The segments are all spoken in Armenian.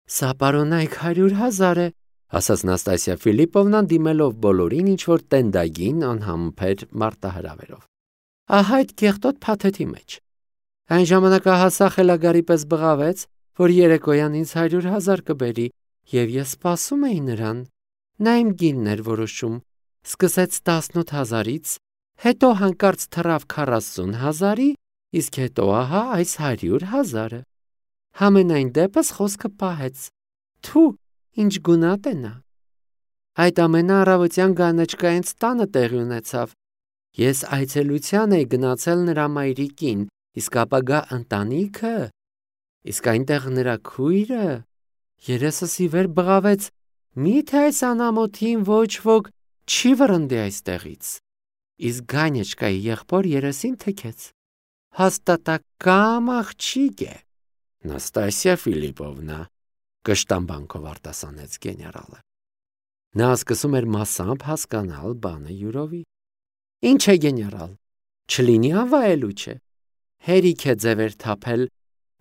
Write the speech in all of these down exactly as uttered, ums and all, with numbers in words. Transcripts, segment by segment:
Սա պարոնայք հարյուր հազար է, ասաց Նաստասիա Ֆիլիպովնան դիմելով բոլորին ինչ-որ տենդագին անհամբեր մարտահրավերով։ Ահա այդ կեղտոտ փաթեթի մեջ։ Այն ժամանակահասա խելագարի պես բղավեց, որ երեկոյան ինձ հարյուր հազար կբերի, և ես սպասում էի նրան։ Նա իմ գինն էր որոշում, սկսեց տասնութ հազարից, հետո հանկարծ թռավ քառասուն հազարի, իսկ հետո ահա այս հարյուր հազարը։ Համենայն դեպս խոսքը պահեց։ Թու, ինչ գունատ է նա։ Այդ ամենը առավոտյան գանեչկայից տանը տեղի ունեցավ։ Ես այցելության էի գնացել նրա մայրիկին, իսկ ապագա ընտանիքը, իսկ այնտեղ նրա քույրը, երեսս ի վեր բղավեց, միթե այս անամոթին ոչ ոք չի վռնդի այստեղից, իսկ գանեչկայի եղբոր երեսին թքեց։ Հաստատակամ աղջիկ է։ Նաստասիա Ֆիլիպովնա, կշտամբանքով արտասանեց գեներալը։ Նա սկսում էր մասամբ հասկանալ բանը յուրովի։ Ինչ է գեներալ, չլինի անվայելու չէ։ Հերիք է ձևեր թափել,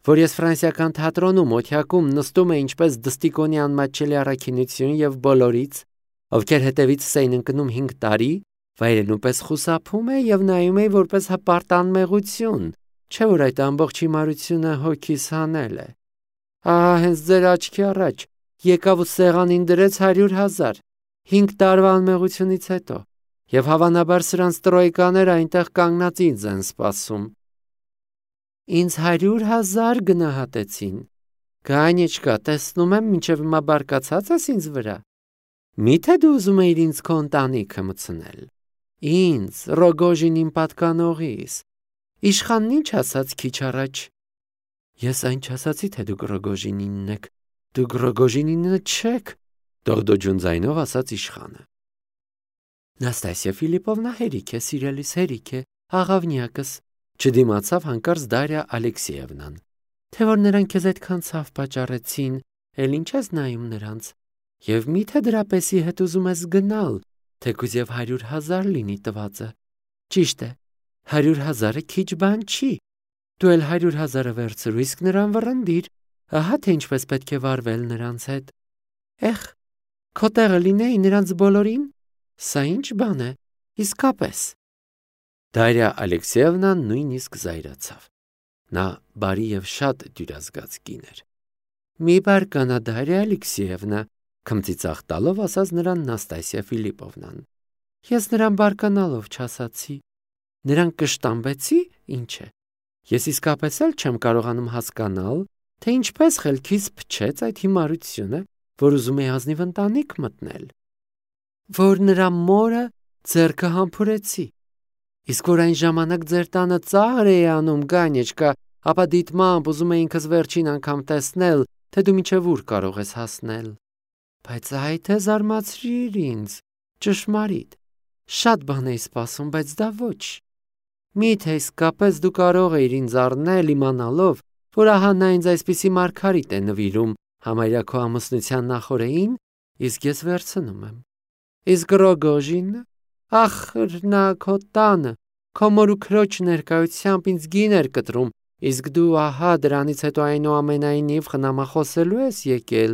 որ ես ֆրանսիական թատրոնում օթյակում նստում է ինչպես դստիկոնի անմատչելի առաքինություն և բոլորից, ովքեր հետևից էին ընկնում հինգ տարի, վայրենու պես խուսափում է և նայում էի որպես հպարտ անմեղություն, չէ որ այդ ամբողջ հիմարությունը հոգիս հանել է։ Ահա հենց ձեր աչքի առաջ եկավ ու սեղանին դրեց հարյուր հազար, հինգ տարվա անմեղությունից հետո, և հավանաբար սրանց տրոյկաները այնտեղ կանգնած ինձ են սպասում։ Ինձ հարյուր հազար գնահատեցին։ Գանեչկա, տեսնում եմ, մինչև հիմա բարկացած ես ինձ վրա։ Միթե դու ուզում էիր ինձ քո ընտանիքը մտցնել։ Ինձ, Ռոգոժինին պատկանողիս։ Իշխանն ինչ ասաց քիչ առաջ։ Ես այն չասացի, թե դուք Ռոգոժինինն եք, դուք Ռոգոժինինը չեք, դողդոջուն ձայնով ասաց իշխանը։ Նաստասիա Ֆիլիպովնա հերիք է, սիրելիս, հերիք է, աղավնյակս, չդիմացավ հանկարծ Դարիա Ալեքսեևնան, թե որ նրանք քեզ այդքան ցավ պատճառեցին, էլ ինչ ես նայում նրանց, և միթե դրա պեսի հետ ուզում ես գնալ, թեկուզ և հարյուր հազար լինի տվածը։ Ճիշտ է, հարյուր հազարը քիչ բան չի, դու էլ հարյուր հազարը վերցրու, իսկ նրան վռնդիր, ահա թե ինչպես պետք է վարվել նրանց հետ։ Էխ, քո տեղը լինեի նրանց բոլորին, սա ինչ բան է, իսկապես։ Դարիա Ալեքսեևնան նույնիսկ զայրացավ։ Նա բարի և շատ դյուրազգաց կին էր։ Մի բարկանա, Դարիա Ալեքսեևնա, քմծիծաղ տալով ասաց նրան Նաստասիա Ֆիլիպովնան։ Ես նրան բարկանալով չասացի։ Նրան կշտամբեցի, ինչ է։ Ես իսկապես էլ չեմ կարողանում հասկանալ, թե ինչպես խելքիս փչեց այդ հիմարությունը, որ ուզում է ազնիվ ընտանիք մտնել, որ նրա մորը ձեռքը համբուրեցի, իսկ որ այն ժամանակ ձեր տանը ծաղր էի անում գանեչկա, ապա դիտմամբ ուզում է ինքս վերջին անգամ տեսնել, թե դու մինչև ուր կարող ես հասնել։ Բայց այ թե զարմացրիր ինձ, ճշմարիտ, շատ բան էի սպասում, բայց դա ոչ։ Միթե իսկապես դու կարող էիր ինձ առնել իմանալով, որ ահա նա ինձ այսպիսի մարգարիտ է նվիրում համարյա քո ամուսնության նախօրեին, իսկ ես վերցնում եմ։ Իսկ Ռոգոժինը, ախր նա քո տանը, քո մոր ու քրոջ ներկայությամբ ինձ գին էր կտրում, իսկ դու ահա դրանից հետո այնուամենայնիվ խնամախոսելու ես եկել,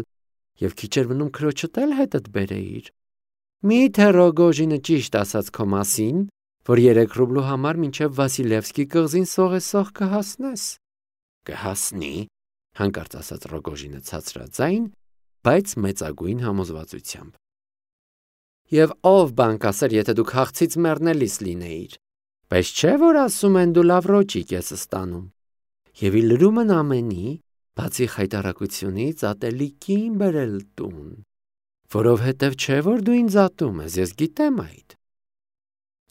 և քիչ էր մնում քրոջդ էլ հետդ բերեիր։ Միթե Ռոգոժինը ճիշտ ասաց քո մասին, որ երեք ռուբլու համար մինչև Վասիլևսկի կղզին սողեսող կհասնես։ Կհասնի, հանկարծ ասաց Ռոգոժինը ցածրաձայն, բայց մեծագույն համոզվածությամբ։ Եվ ով բան կասեր, եթե դու քաղցից մեռնելիս լինեիր, բայց չէ որ ասում են դու լավ ռոճիկ ես ստանում։ Եվ ի լրումն ամենի, բացի խայտառակությունից, ատելիկին բերել տուն, որովհետև չէ որ դու ինձ ատում ես, ես գիտեմ այդ։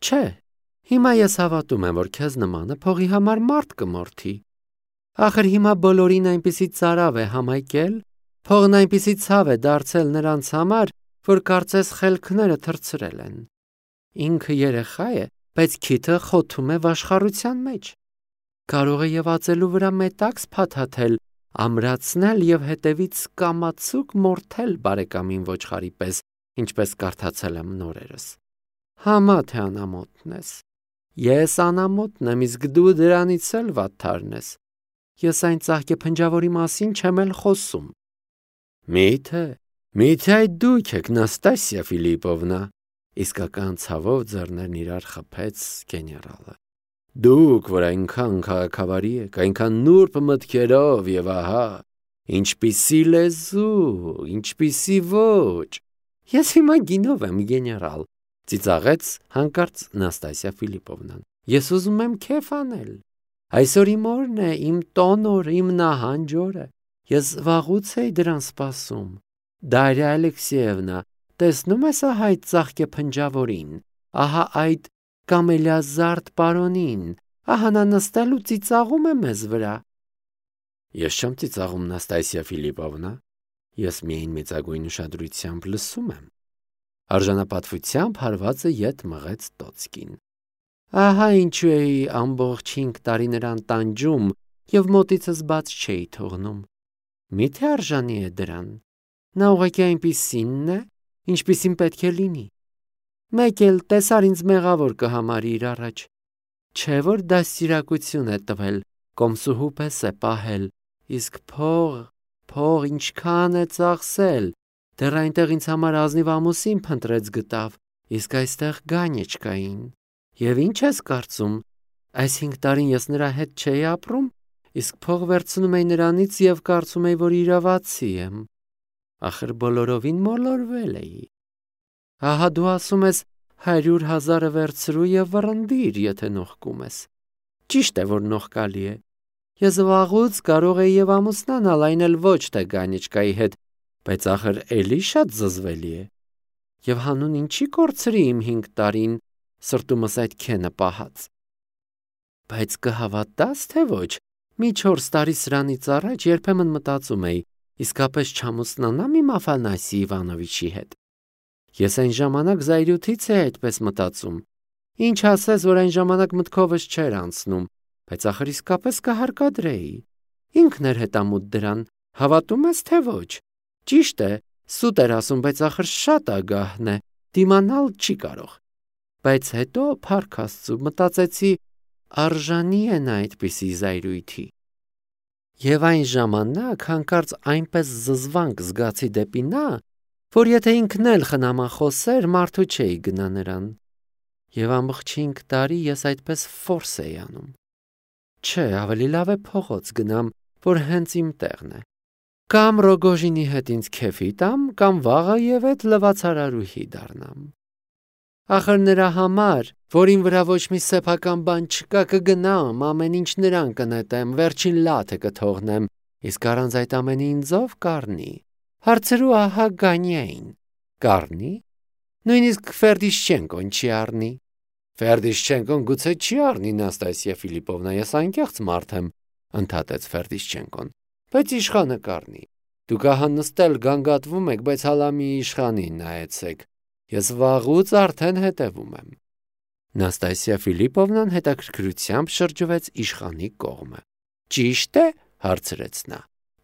Չէ, հիմա ես հավատում եմ, որ քեզ նմանը փողի համար մարդ կմորթի։ Ախր հիմա բոլորին այնպիսի ծարավ է համայկել, փողն այնպիսի ցավ է դարձել նրանց համար, որ կարծես խելքները թռցրել են։ Ինքը երեխա է, բայց քիթը խոթում է վաշխառության մեջ։ Կարող է և ածելու վրա մետաքս փաթաթել, ամրացնել և հետևից կամացուկ մորթել բարեկամին ոչխարի պես, ինչպես կարդացել եմ նորերս։ Համա թե անամոթն ես։ Ես անամոթն եմ, իսկ դու դրանից էլ վատթարն ես։ Ես այն ծաղկե փնջավորի մասին չեմ էլ խոսում։ Մի՞թե, մի՞թե այդ դուք եք, Նաստասիա Ֆիլիպովնա, իսկական ցավով ձեռներն իրար խփեց գեներալը։ Դուք, որ այնքան քաղաքավարի եք, այնքան նուրբ մտքերով եւ ահա, ինչպիսի լեզու, ինչպիսի ոճ։ Ես հիմա գինով եմ, գեներալ, ծիծաղեց հանկարծ Նաստասիա Ֆիլիպովնան։ Ես ուզում եմ քեֆ անել։ Այսօր իմ օրն է, իմ տոն օր, իմ նահանջ օրը։ Ես վաղուց էի դրան սպասում։ Դարիա Ալեքսեևնա, տեսնում ես ահա այդ ծաղկե փնջավորին, ահա այդ կամելիազարդ պարոնին, ահա նա նստել ու ծիծաղում է մեզ վրա։ Ես չեմ ծիծաղում, Նաստասիա Ֆիլիպովնա, ես միայն մեծագույն ուշադրությամբ լսում եմ։ Արժանապատվությամբ հարվածը ետ մղեց Տոցկին։ Ահա ինչու էի ամբողջ հինգ տարի նրան տանջում եւ մոտիցս բաց չէի թողնում։ Միթե արժանի է դրան։ Նա ուղղակի այնպիսինն է, ինչպիսին պետք է լինի։ Մեկ էլ տեսար ինձ մեղավոր կհամարի իր առաջ։ Չէ որ դաստիարակություն է տվել, կոմսուհու պես է պահել, իսկ փող, փող ինչքան է ծախսել, դեռ այնտեղ ինձ համար ազնիվ ամուսին փնտրեց գտավ, իսկ այստեղ գանյեչկային։ Եվ ինչ ես կարծում, այս հինգ տարին ես նրա հետ չէի ապրում, իսկ փող վերցնում էի նրանից եւ կարծում էի, որ իրավացի եմ։ Ախր բոլորովին մոլորվել էի։ Ահա դու ասում ես հարյուր հազարը վերցրու եւ վռնդիր, եթե նողկում ես։ Ճիշտ է, որ նողկալի է։ Ես վաղուց կարող էի եւ ամուսնանալ, այն էլ ոչ թե գանյեչկայի հետ, բայց ախր էլի շատ զզվելի է։ Եվ հանուն ինչի կորցրի իմ հինգ տարին սրտումս այդ քենը պահած։ Բայց կհավատաս թե ոչ, մի չորս տարի սրանից առաջ երբեմն մտածում էի, իսկապես չամուսնանամ իմ Աֆանասի Իվանովիչի հետ։ Ես այն ժամանակ զայրույթից էի այդպես մտածում։ Ինչ ասես, որ այն ժամանակ մտքովս չէր անցնում, բայց ախր իսկապես կհարկադրեի։ Ինքն էր հետամուտ դրան, հավատում ես թե ոչ։ Ճիշտ է, սուտ էր ասում, բայց ախր շատ ագահն է, դիմանալ չի կարող։ Բայց հետո փառք Աստծու մտածեցի, արժանի է նա այդպիսի զայրույթի։ Եվ այն ժամանակ հանկարծ այնպես զզվանք զգացի դեպի նա, որ եթե ինքն էլ խնամախոսեր, մարդու չէի գնա նրան։ Եվ ամբողջ հինգ տարի ես այդպես ֆորս էի անում։ Չէ, ավելի լավ է փողոց գնամ, որ հենց իմ տեղն է։ Կամ Ռոգոժինի հետ ինձ քեֆի տամ, կամ վաղը եւ այդ լվացարարուհի դառնամ։ Ախր նրա համար, որին վրա ոչ մի սեփական բան չկա, կգնամ, ամեն ինչ նրան կնետեմ, վերջին լաթը կթողնեմ, իսկ առանց այդ ամենի ինձով կառնի։ Հարցրու ահա Գանյային։ Կառնի։ Նույնիսկ Ֆերդիշչենկոն չի առնի։ Ֆերդիշչենկոն գուցե չի առնի, Նաստասիա Ֆիլիպովնա, ես անկեղծ մարդ եմ, ընդհատեց Ֆերդիշչենկոն, բայց իշխանը կառնի։ Դուք ահա նստել գանգատվում եք, բայց հալա մի իշխանին նայեցեք։ Ես վաղուց արդեն հետևում եմ։ Նաստասիա Ֆիլիպովնան հետաքրքրությամբ շրջվեց իշխանի կողմը։ Ճիշտ է, հարցրեց նա։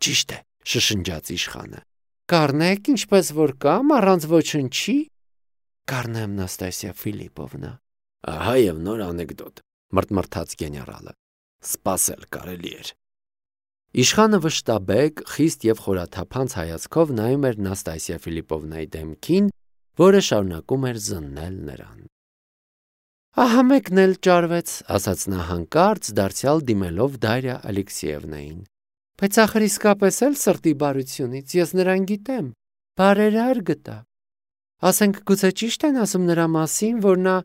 Ճիշտ է, շշնջաց իշխանը։ Կառնեք, ինչպես որ կամ, առանց ոչնչի։ Կառնեմ, Նաստասիա Ֆիլիպովնա։ Ահա եւ նոր անեկդոտ, մրթմրթաց գեներալը։ Սպասել կարելի էր։ Իշխանը վշտաբեկ, խիստ եւ խորաթափանց հայացքով նայում էր Նաստասիա Ֆիլիպովնայի դեմքին, որը շարունակում էր զննել նրան։ Ահա մեկն էլ ճարվեց, ասաց նա հանկարծ, դարձյալ դիմելով Դարիա Ալեքսեևնային։ Բայց ախր իսկապես էլ սրտի բարությունից ես նրան գիտեմ, բարերար գտա։ Ասենք գուցե ճիշտ են ասում նրա մասին, որ նա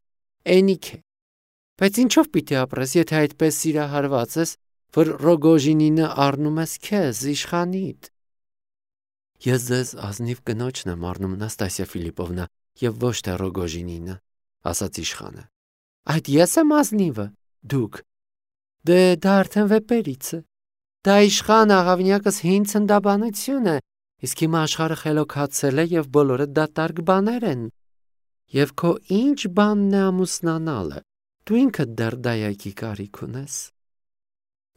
էնիկ է։ Բայց ինչով պիտի ապրես, եթե այդպես սիրահարված ես, որ Ռոգոժինինը առնում ես քեզ, իշխանիդ։ Ես ձեզ ազնիվ կնոջն եմ առնում, Նաստասիա Ֆիլիպովնա, եւ ոչ թե Ռոգոժինինը, ասաց իշխանը։ Այդ ես եմ ազնիվը, դուք։ Դե դա արդեն վեպերից է։ Դա իշխան աղավնյակս հին ցնդաբանություն է, իսկ հիմա աշխարհը խելոքացել է եւ բոլորը դատարկ բաներ են։ Եվ քո ինչ բանն է ամուսնանալը, դու ինքդ դեռ դայակի կարիք ունես։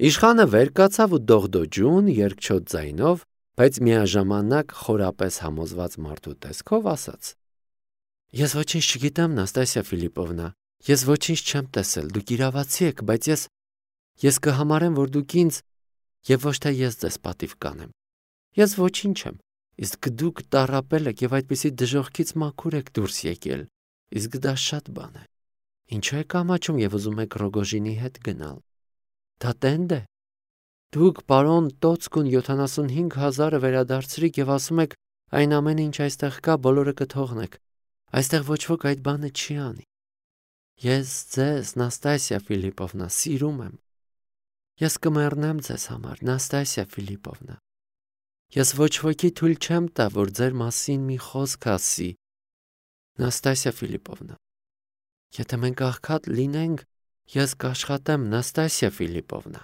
Իշխանը վեր կացավ ու դողդոջուն, երկչոտ ձայնով, բայց միաժամանակ խորապես համոզված մարդու տեսքով ասաց. Ես ոչինչ չգիտեմ, Նաստասիա Ֆիլիպովնա, ես ոչինչ չեմ տեսել, դուք իրավացի եք, բայց ես ես կհամարեմ, որ դուք ինձ եւ ոչ թե ես ձեզ պատիվ կանեմ։ Ես ոչինչ եմ, Իսկ դուք տառապել եք եւ այդպիսի դժոխքից մաքուր եք դուրս եկել, իսկ դա շատ բան է։ Ինչու եք ամաչում եւ ուզում եք Ռոգոժինի հետ գնալ։ Դա տենդ է։ Դուք պարոն Տոցկուն յոթանասունհինգ հազարը վերադարձրիք եւ ասում եք այն ամենը, ինչ այստեղ կա, բոլորը կթողնեք։ Այստեղ ոչ ոք այդ բանը չի անի։ Ես ձեզ, Նաստասիա Ֆիլիպովնա, սիրում եմ։ Ես կմեռնեմ ձեզ համար, Նաստասիա Ֆիլիպովնա։ Ես ոչ ոքի թույլ չեմ տա, որ ձեր մասին մի խոսք ասի, Նաստասիա Ֆիլիպովնա։ Եթե մենք աղքատ լինենք, ես կաշխատեմ, Նաստասիա Ֆիլիպովնա։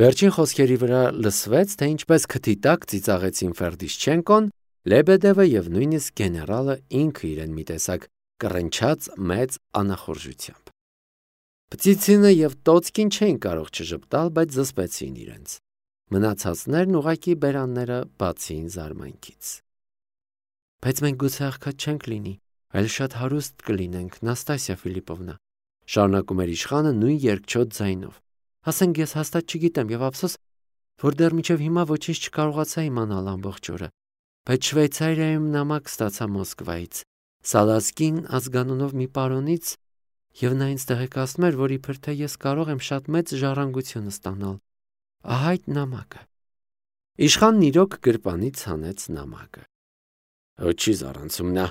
Վերջին խոսքերի վրա լսվեց, թե ինչպես քթի տակ ծիծաղեցին Ֆերդիշչենկոն, Լեբեդևը եւ նույնիսկ գեներալը ինքը իրեն մի տեսակ կռնչած մեծ անախորժությամբ։ Պտիցինը եւ Տոցկին չէին կարող չժպտալ, բայց զսպեցին իրենց։ Մնացածներն ուղակի բերանները բացին զարմանքից։ Բայց մենք գուցե աղքատ չենք լինի, այլ շատ հարուստ կլինենք, Նաստասիա Ֆիլիպովնա, շարունակում էր իշխանը նույն երկչոտ ձայնով։ Ասենք ես հաստատ չգիտեմ եւ ափսոս, որ դեռ մինչեւ հիմա ոչինչ չկարողացա իմանալ ամբողջ օրը, բայց Շվեյցարիայում նամակ ստացա Մոսկվայից, Սալասկին ազգանունով մի պարոնից, եւ նա ինձ տեղեկացնում էր, որ իբր թե ես կարող եմ շատ մեծ ժառանգություն ստանալ։ Ահա այդ նամակը։ Իշխանն իրոք գրպանից հանեց նամակը։ Ոչի զառանցում նա,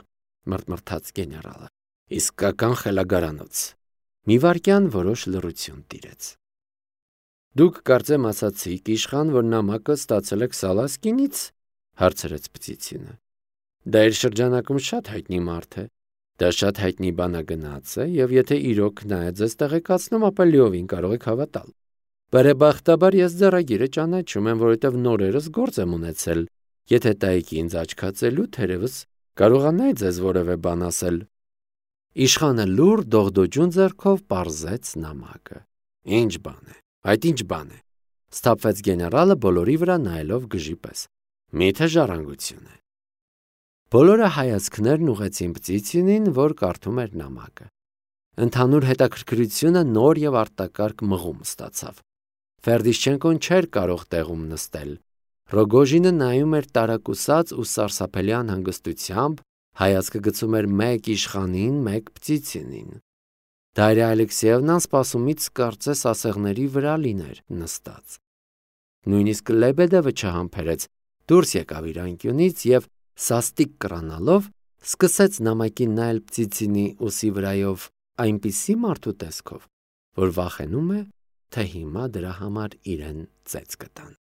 մռթմռթաց գեներալը։ Իսկական խելագարանոց։ Մի վարքյան որոշ լռություն տիրեց։ Դուք կարծեմ ասացիք, իշխան, որ նամակը ստացել եք Սալասկինից, հարցրեց Պտիցինը։ Դա իր շրջանակում շատ հայտնի մարդ է։ Դա շատ հայտնի բանագնաց է, եւ եթե իրոք նա է ձեզ տեղեկացնում, ապա լիովին կարող եք հավատալ։ Բարեբախտաբար ես ձեռագիրը ճանաչում եմ, որովհետեւ նորերս գործ եմ ունեցել։ Եթե տայիք ինձ աչքացելու, թերևս կարողանայի ձեզ որևէ բան ասել։ Իշխանը լուր դողդոջուն ձեռքով պարզեց նամակը։ Ինչ բան է։ Այդ ինչ բան է։ Սթափվեց գեներալը բոլորի վրա նայելով գժի պես։ Միթե ժառանգություն է։ Բոլորը հայացքներն ուղեցին Պտիցինին, որ կարդում էր նամակը։ Ընդհանուր հետաքրքրությունը նոր եւ արտակարգ մղում ստացավ։ Ֆերդիշչենկոն չէր կարող տեղում նստել։ Ռոգոժինը նայում էր տարակուսած ու սարսափելի անհանգստությամբ, հայացքը գցում էր մեկ իշխանին, մեկ Պտիցինին։ Դարիա Ալեքսեևնան սպասումից կարծես ասեղների վրա լիներ նստած։ Նույնիսկ Լեբեդևը չհամբերեց, դուրս եկավ իր անկյունից եւ սաստիկ կռանալով սկսեց նամակին նայել Պտիցինի ուսի վրայով այնպիսի մարդու տեսքով, որ վախենում է, թե հիմա դրա համար իրեն ծեծ կտան։